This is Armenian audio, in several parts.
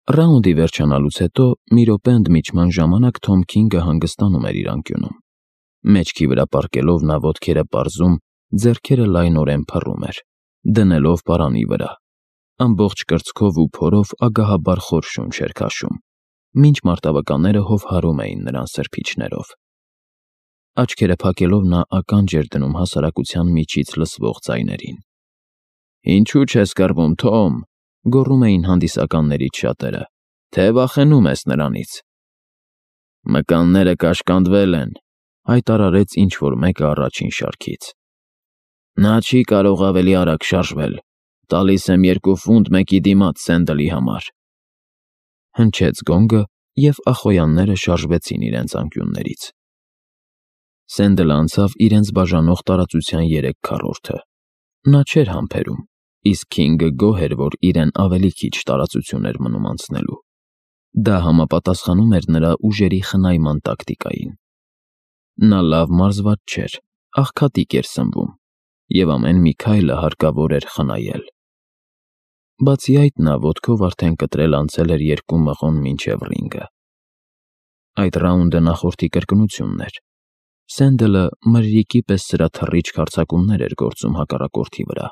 Ռաունդի վերջանալուց հետո մի րոպե ընդմիջման ժամանակ Թոմ Քինգը հանգստանում էր իր անկյունում։ Մեջքի վրա պառկելով նա ոտքերը պարզում, ձեռքերը լայնորեն փռում էր, դնելով պարանի վրա։ Ամբողջ կրծքով ու փորով ագահաբար խոր շունչ էր քաշում, մինչ մարտավականները հովհարում էին նրան սրբիչներով։ Աչքերը փակելով նա ականջ էր դնում հասարակության միջից լսվող ձայներին։ «Ինչու՞ չես կռվում, Թոմ», գոռում էին հանդիսականներից շատերը, «թե վախենում ես նրանից»։ «Մկանները կաշկանդվել են», հայտարարեց ինչ-որ մեկը առաջին շարքից։ «Նա չի կարող ավելի արագ շարժվել, տալիս եմ 2 ֆունտ մեկի դիմաց Սենդլի համար»։ Հնչեց գոնգը, և ախոյանները շարժվեցին իրենց անկյուններից։ Սենդլը անցավ իրենց բաժանող տարածության 3/4-ը։ Նա չէր համբերում, իսկ Քինգը գոհ էր, որ իրեն ավելի քիչ տարածություն էր մնում անցնելու։ Դա համապատասխանում էր նրա ուժերի խնայման տակտիկային։ Նա լավ մարզված չէր, աղքատիկ էր սնվում, և ամեն մի քայլը հարկավոր էր խնայել։ Բացի այդ, նա ոտքով արդեն կտրել անցել էր 2 մղոն մինչև ռինգը։ Այդ ռաունդը նախորդի կրկնությունն էր։ Սենդլը մրրիկի պես սրա թռիչք հարձակումներ էր գործում հակառակորդի վրա,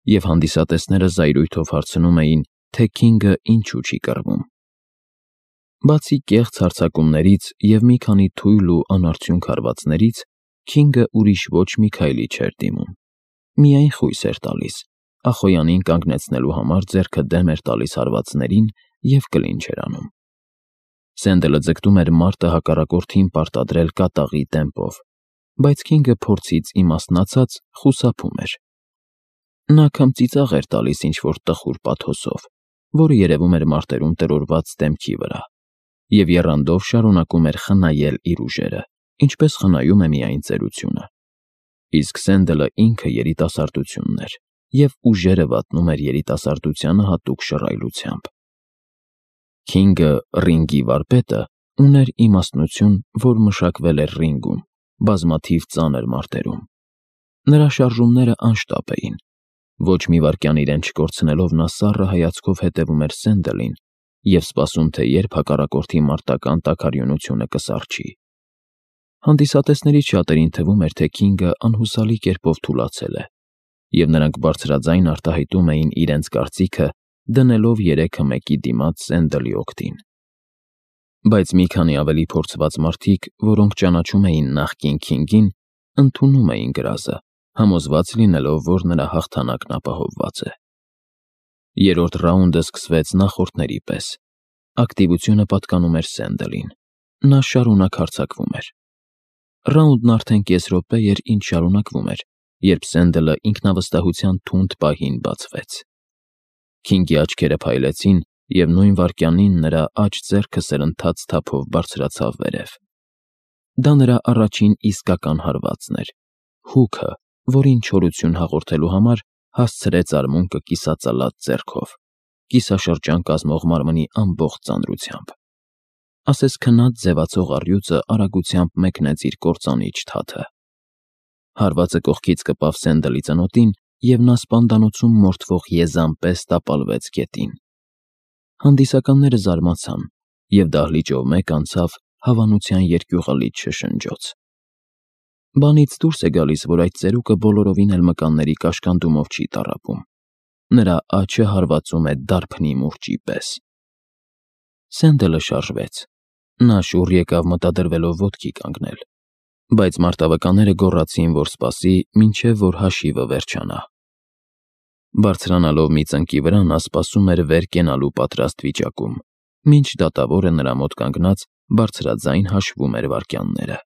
և հանդիսատեսները զայրույթով հարցնում էին, թե Քինգը ինչու չի կռվում։ Բացի կեղծ հարձակումներից և մի քանի թույլ ու անարդյունք հարվածներից, Քինգը ուրիշ ոչ մի քայլի չէր դիմում։ Միայն խույս էր տալիս, ախոյանին կանգնեցնելու համար ձեռքը դեմ էր տալիս հարվածներին և կլինչ էր անում։ Սենդլը ձգտում էր մարտը հակառակորդին պարտադրել կատաղի տեմպով, բայց Քինգը փորձից իմաստնացած խուսափում էր։ Նա քմծիծաղ էր տալիս ինչ-որ տխուր պաթոսով, որը երևում էր մարտերում տրորված դեմքի վրա, և եռանդով շարունակում էր խնայել իր ուժերը, ինչպես խնայում է միայն ծերությունը։ Իսկ Սենդլը ինքը երիտասարդությունն էր, և ուժերը վատնում էր երիտասարդությանը հատուկ շռայլությամբ։ Քինգը, ռինգի վարպետը, ուներ իմաստնություն, որ մշակվել էր ռինգում, բազմաթիվ ծանր մարտերում։ Նրա շարժումները անշտապ էին։ Ոչ մի վայրկյան իրեն չկորցնելով նա սառը հայացքով հետևում էր Սենդլին և սպասում, թե երբ հակառակորդի մարտական տաքարյունությունը կսառչի։ Հանդիսատեսներից շատերին թվում էր, թե Քինգը անհուսալի կերպով թուլացել է, և նրանք բարձրաձայն արտահայտում էին իրենց կարծիքը, դնելով 3-ը մեկի դիմաց Սենդլի օգտին։ Բայց մի քանի ավելի փորձված մարդիկ, որոնք ճանաչում էին նախկին Քինգին, ընդունում էին գրազը, համոզված լինելով, որ նրա հաղթանակն ապահովված է։ Երրորդ ռաունդը սկսվեց նախորդների պես։ Ակտիվությունը պատկանում էր Սենդլին։ Նա շարունակ հարձակվում էր։ Ռաունդն արդեն կես րոպե էր, ինչ շարունակվում էր, երբ Սենդլը ինքնավստահության թունդ պահին բացվեց։ Քինգի աչքերը փայլեցին, և նույն վայրկյանին նրա աջ ձեռքը սրընթաց թափով բարձրացավ վերև։ Դա նրա առաջին իսկական հարվածն էր, հուքը, որին չորություն հաղորդելու համար հասցրեց արմունկը կիսածալած ձեռքով, կիսաշրջան կազմող մարմնի ամբողջ ծանրությամբ։ Ասես քնած ձևացող առյուծը արագությամբ մեկնեց իր կործանիչ թաթը։ Հարվածը կողքից կպավ Սենդլի ծնոտին, և նա սպանդանոցում մորթվող եզան պես տապալվեց գետին։ Հանդիսականները զարմացան, և դահլիճով մեկ անցավ հավանության երկյուղալից շշնջոց։ Բանից դուրս է գալիս, որ այդ ծերուկը բոլորովին էլ մկանների կաշկանդումով չի տառապում։ Նրա աջը հարվածում է դարբնի մուրճի պես։ Սենդլը շարժվեց։ Նա շուռ եկավ մտադրվելով ոտքի կանգնել, բայց մարտավականները գոռացին, որ սպասի, մինչև որ հաշիվը վերջանա։ Բարձրանալով մի ծնկի վրա նա սպասում էր վեր կենալու պատրաստ վիճակում, մինչ դատավորը նրա մոտ կանգնած բարձրաձայն հաշվում էր վայրկյանները։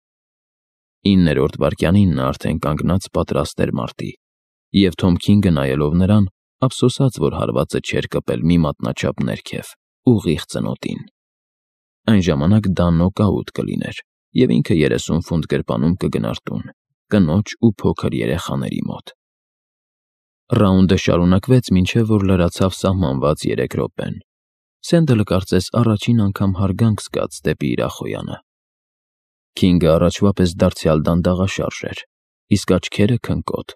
9-րդ վայրկյանին նա արդեն կանգնած պատրաստ էր մարտի, և Թոմ Քինգը նայելով նրան, ափսոսաց, որ հարվածը չէր կպել մի մատնաչափ ներքև, ուղիղ ծնոտին։ Այն ժամանակ դա նոկաուտ կլիներ, և ինքը 30 ֆունտ գրպանում կգնար տուն, կնոջ ու փոքր երեխաների մոտ։ Ռաունդը շարունակվեց, մինչև որ լրացավ սահմանված 3 րոպեն։ Սենդլը կարծես առաջին անգամ հարգանք զգաց դեպի իր ախոյանը։ Քինգը առաջվա պես դարձյալ դանդաղաշարժ էր, իսկ աչքերը՝ քնկոտ։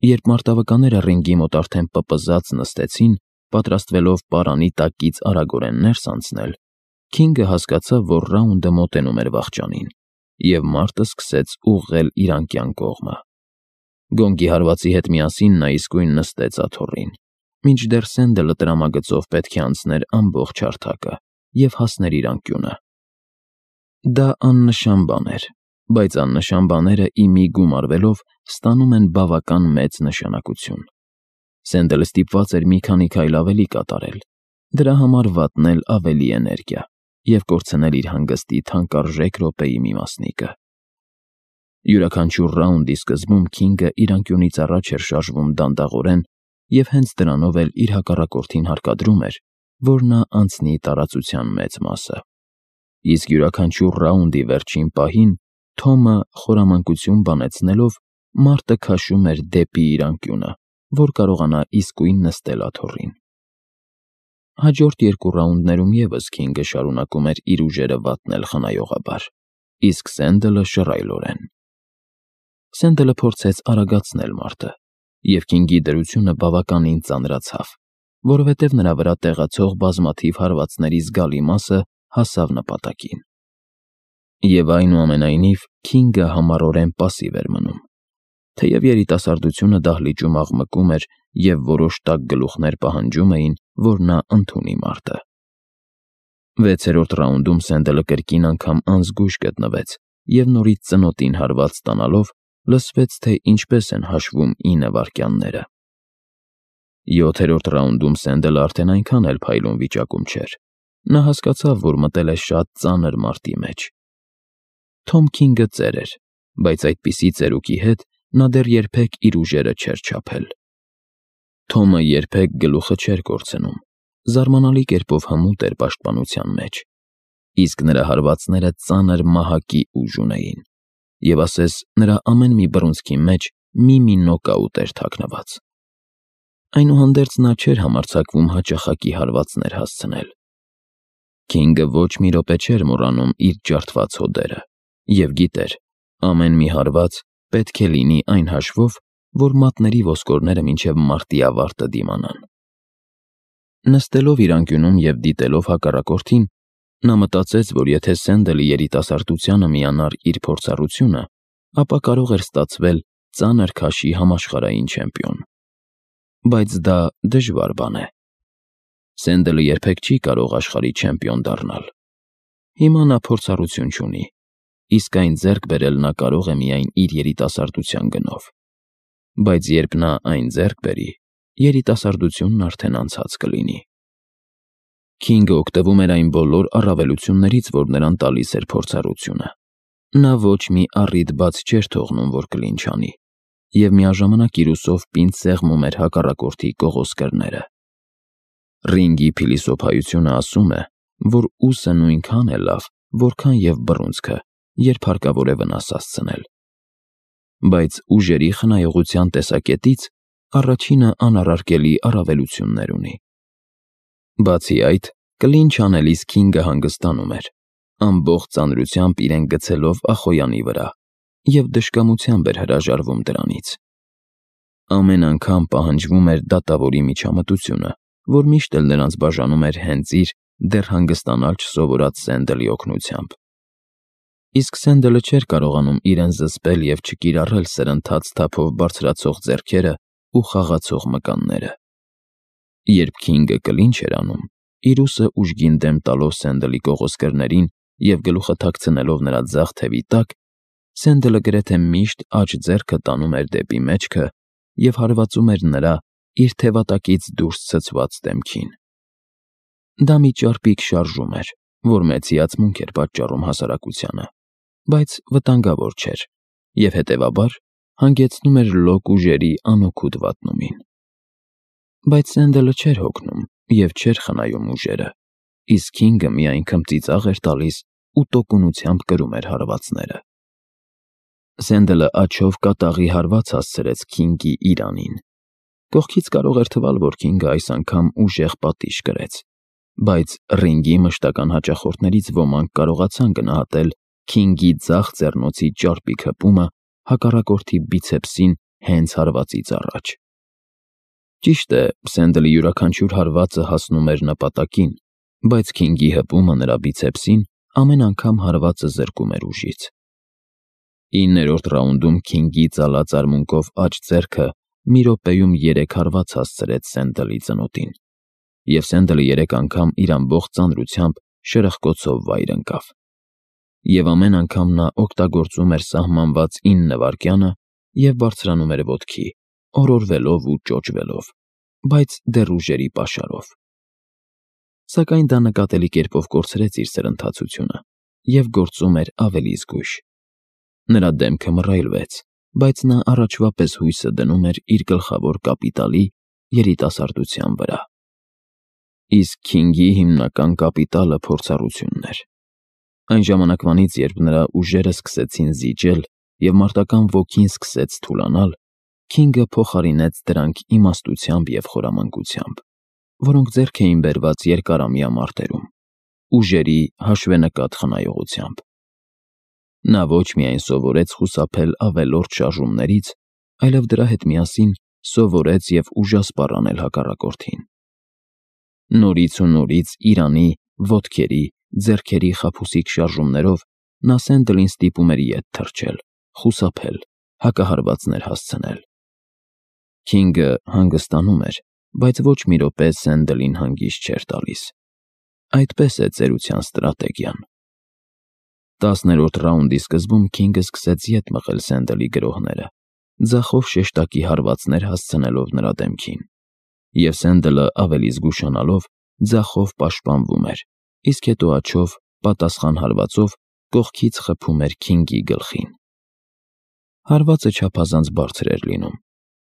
Երբ մարտավականները ռինգի մոտ արդեն պպզած նստեցին, պատրաստվելով պարանի տակից արագորեն ներս անցնել, Քինգը հասկացավ, որ Ռաունդը մոտենում էր վախճանին, և մարդը սկսեց ուղղել իր անկյան կողմը։ Գոնգի հարվածի հետ միասին նա իսկույն նստեց աթոռին, մինչդեռ Սենդլը տրամագծով պետք է անցներ ամբողջ հարթակը և հասներ իր անկյունը։ Դա աննշան բան էր, բայց աննշան բաները ի մի գումարվելով ստանում են բավական մեծ նշանակություն։ Սենդլը ստիպված էր մի քանի քայլ ավելի կատարել, դրա համար վատնել ավելի էներգիա և կորցնել իր հանգստի թանկարժեք րոպեի մի մասնիկը։ Յուրաքանչյուր ռաունդի սկզբում Քինգը իր անկյունից առաջ էր շարժվում դանդաղորեն և հենց դրանով էլ իր հակառակորդին հարկադրում էր, որ նա անցնի տարածության մեծ մասը։ Իսկ յուրաքանչյուր ռաունդի վերջին պահին Թոմը խորամանկություն բանեցնելով մարդը քաշում էր դեպի իր անկյունը, որ կարողանա իսկույն նստել աթոռին։ Հաջորդ երկու ռաունդներում ևս Քինգը շարունակում էր իր ուժերը վատնել խնայողաբար, իսկ Սենդլը շռայլորեն։ Սենդլը փորձեց արագացնել մարդը, և Քինգի դրությունը բավականին ծանրացավ, որովհետև նրա վրա տեղացող բազմաթիվ հարվածների զգալի մասը հասավ նպատակին։ Եվ այնուամենայնիվ Քինգը համառորեն պասիվ էր մնում, թեև երիտասարդությունը դահլիճում աղմկում էր և որոշ տաք գլուխներ պահանջում էին, որ նա ընդունի մարտը։ 6-րդ ռաունդում Սենդլը կրկին անգամ անզգույշ գտնվեց և նորից ծնոտին հարված ստանալով լսվեց, թե ինչպես են հաշվում 9 վայրկյանները։ 7-րդ ռաունդում Սենդլը արդեն այնքան էլ փայլուն վիճակում չէր։ Նա հասկացավ, որ մտել է շատ ծանր մարտի մեջ։ Թոմ Քինգը ծեր էր, բայց այդպիսի ծերուկի հետ նա դեռ երբեք իր ուժերը չէր չափել։ Թոմը երբեք գլուխը չէր կորցնում, զարմանալի կերպով հմուտ էր պաշտպանության մեջ, իսկ նրա հարվածները ծանր մահակի ուժ ունեին, և ասես նրա ամեն մի բռունցքի մեջ մի նոկաուտ էր թաքնված։ Այնուհանդերձ նա չէր համարձակվում հաճախակի հարվածներ հասցնել։ Քինգը ոչ մի րոպե չէր մոռանում իր ջարդված հոդերը և գիտեր, ամեն մի հարված պետք է լինի այն հաշվով, որ մատների ոսկորները մինչև մարտի ավարտը դիմանան։ Նստելով իր անկյունում և դիտելով հակառակորդին, նա մտածեց, որ եթե Սենդլի երիտասարդությանը միանար իր փորձառությունը, ապա կարող էր ստացվել ծանր քաշի համաշխարհային չեմպիոն։ Բայց դա դժվար բան է։ Սենդլը երբեք չի կարող աշխարհի չեմպիոն դառնալ։ Հիմա նա փորձառություն չունի, իսկ այն ձեռք բերել նա կարող է միայն իր երիտասարդության գնով։ Բայց երբ նա այն ձեռք բերի, երիտասարդությունն արդեն անցած կլինի։ Քինգը օգտվում էր այն բոլոր առավելություններից, որ նրան տալիս էր փորձառությունը։ Նա ոչ մի առիթ բաց չէր թողնում, որ կլինչ անի, և միաժամանակ իր ուսով պինդ սեղմում էր հակառակորդի կողոսկրները։ Ռինգի փիլիսոփայությունը ասում է, որ ուսը նույնքան է լավ, որքան և բռունցքը, երբ հարկավոր է վնաս հասցնել։ Բայց ուժերի խնայողության տեսակետից առաջինը անառարկելի առավելություններ ունի։ Բացի այդ, կլինչ անելիս Քինգը հանգստանում էր, ամբողջ ծանրությամբ իրեն գցելով Ախոյանի վրա, և դժկամությամբ էր հրաժարվում դրանից։ Ամեն անգամ պահանջվում էր դատավորի միջամտությունը, որ միշտ էլ նրանց բաժանում էր հենց իր դեռ հանգստանալ չսովորած Սենդլի օգնությամբ։ Իսկ Սենդլը չէր կարողանում իրեն զսպել և չկիրառել սրընթաց թափով բարձրացող ձեռքերը ու խաղացող մկանները։ Երբ Քինգը կլինչ էր անում, իր ուսը ուժգին դեմ տալով Սենդլի կողոսկրներին և գլուխը թաքցնելով նրա ձախ թևի տակ, Սենդլը գրեթե միշտ աջ ձեռքը տանում էր դեպի մեջքը և հարվածում էր նրա իր թևատակից դուրս ցցված դեմքին։ Դա մի ճարպիկ շարժում էր, որ մեծ հիացմունք էր պատճառում հասարակությանը, բայց վտանգավոր չէր և հետևաբար հանգեցնում էր լոկ ուժերի անօգուտ վատնումին։ Բայց Սենդլը չէր հոգնում և չէր խնայում ուժերը, իսկ Քինգը միայն քմծիծաղ էր տալիս ու տոկունությամբ կրում էր հարվածները։ Սենդլը աջով կատաղի հարված հասցրեց Քինգի իրանին։ Կողքից կարող էր թվալ, որ Քինգը այս անգամ ուժեղ պատիժ կրեց, բայց ռինգի մշտական հաճախորդներից ոմանք կարողացան գնահատել Քինգի ձախ ձեռնոցի ճարպիկ հպումը հակառակորդի բիցեպսին հենց հարվածից առաջ։ Ճիշտ է, Սենդլի յուրաքանչյուր հարվածը հասնում էր նպատակին, բայց Քինգի հպումը նրա բիցեպսին ամեն անգամ հարվածը զրկում էր ուժից։ 9-րդ ռաունդում Քինգի ծալած արմունկով աջ ձեռքը մի րոպեում 3 հարված հասցրեց Սենդլի ծնոտին, և Սենդլը 3 անգամ իր ամբողջ ծանրությամբ շրխկոցով վայր ընկավ։ Եվ ամեն անգամ նա օգտագործում էր սահմանված 9 վայրկյանը և բարձրանում էր ոտքի, օրորվելով ու ճոճվելով, բայց դեռ ուժերի պաշարով։ Սակայն դա նկատելի կերպով կորցրեց իր սրընթացությունը և գործում էր ավելի զգույշ։ Նրա դեմքը մռայլվեց, բայց նա առաջվա պես հույսը դնում էր իր գլխավոր կապիտալի՝ երիտասարդության վրա։ Իսկ Քինգի հիմնական կապիտալը փորձառությունն էր։ Այն ժամանակվանից, երբ նրա ուժերը սկսեցին զիջել և մարտական ոգին սկսեց թուլանալ, Քինգը փոխարինեց դրանք իմաստությամբ և խորամանկությամբ, որոնք ձեռք էին բերված երկարամյա մարտերում, ուժերի հաշվենկատ խնայողությամբ։ Նա ոչ միայն սովորեց խուսափել ավելորդ շարժումներից, այլև դրա հետ միասին սովորեց և ուժասպառ անել հակառակորդին։ Նորից ու նորից իրանի, ոտքերի, ձեռքերի խաբուսիկ շարժումներով նա Սենդլին ստիպում էր ետ թռչել, խուսափել, հակահարվածներ հասցնել։ Քինգը հանգստանում էր, բայց ոչ մի րոպե Սենդլին հանգիստ չէր տալիս։ Այդպես է ծերության ստրատեգիան։ 10-րդ ռաունդի սկզբում Քինգը սկսեց ետ մղել Սենդլի գրոհները, ձախով շեշտակի հարվածներ հասցնելով նրա դեմքին, և Սենդլը ավելի զգուշանալով ձախով պաշտպանվում էր, իսկ հետո աջով, պատասխան հարվածով, կողքից խփում էր Քինգի գլխին։ Հարվածը չափազանց բարձր էր լինում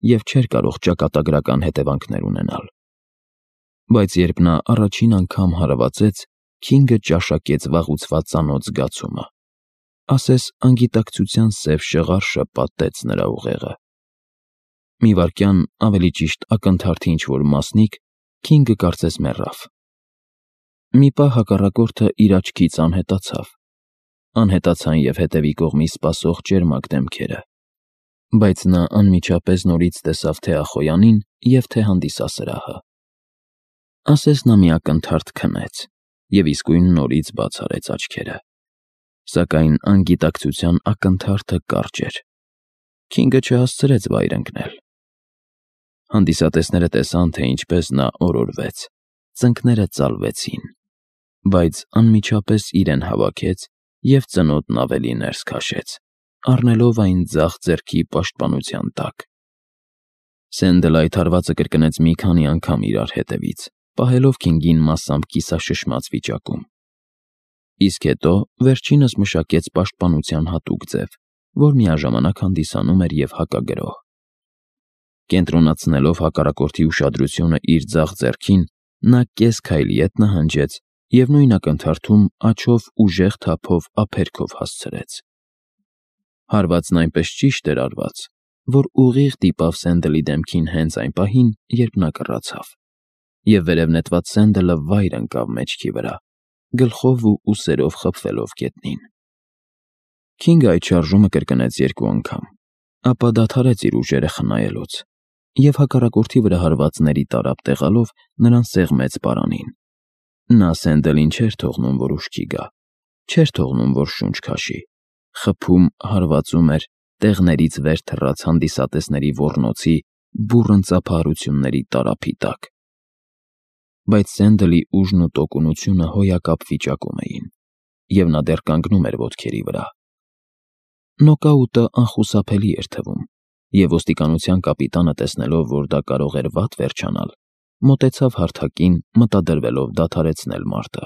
և չէր կարող ճակատագրական հետևանքներ ունենալ։ Բայց երբ նա առաջին անգամ հարվածեց, Քինգը ճաշակեց վաղուցված ծանոթ զգացումը, ասես անգիտակցության սև շղարշը պատեց նրա ուղեղը։ Մի վայրկյան, ավելի ճիշտ ակնթարթի ինչ-որ մասնիկ, Քինգը կարծես մեռավ։ Մի պահ հակառակորդը իր աչքից անհետացավ։ Անհետացան և հետևի կողմից սպասող ճերմակ դեմքերը, բայց նա անմիջապես նորից տեսավ թե Ախոյանին և թե հանդիսասրահը։ Ասես նա մի ակնթարթ քնեց և իսկույն նորից բաց արեց աչքերը։ Սակայն անգիտակցության ակնթարթը կարճ էր։ Քինգը չհասցրեց վայր ընկնել։ Հանդիսատեսները տեսան, թե ինչպես նա օրորվեց, ծնկները ծալվեցին, բայց անմիջապես իրեն հավաքեց և ծնոտն ավելի ներս քաշեց, առնելով այն ձախ ձեռքի պաշտպանության տակ։ Սենդլը այդ հարվածը կրկնեց մի քանի անգամ իրար հետևից, պահելով Քինգին մասամբ կիսաշշմած վիճակում։ Իսկ հետո վերջինս մշակեց պաշտպանության հատուկ ձև, որ միաժամանակ հանդիսանում էր և հակագրոհ։ Կենտրոնացնելով հակառակորդի ուշադրությունը իր ձախ ձեռքին, նա կես քայլ ետ նահանջեց և նույն ակնթարթում աջով ուժեղ թափով ափերքով հասցրեց։ Հարվածն այնպես ճիշտ էր արված, որ ուղիղ դիպավ Սենդլի դեմքին հենց այն պահին, երբ նա կռացավ, և վերև նետված Սենդլը վայր ընկավ մեջքի վրա, գլխով ու ուսերով խփվելով գետնին։ Քինգը այդ շարժումը կրկնեց 2 անգամ, ապա դադարեց իր ուժերը խնայելուց և հակառակորդի վրա հարվածների տարափ տեղալով նրան սեղմեց պարանին։ Նա Սենդլին չէր թողնում, որ ուշքի գա, չէր թողնում, որ շունչ քաշի, խփում, հարվածում էր, տեղներից վեր թռաց հանդիսատեսների ոռնոցի, բուռն ծափահարությունների տարափի տակ։ Բայց Սենդլի ուժն ու տոկունությունը հոյակապ վիճակում էին, և նա դեռ կանգնում էր ոտքերի վրա։ Նոկաուտը անխուսափելի էր թվում, և ոստիկանության կապիտանը, տեսնելով, որ դա կարող էր վատ վերջանալ, մոտեցավ հարթակին, մտադրվելով դադարեցնել մարտը։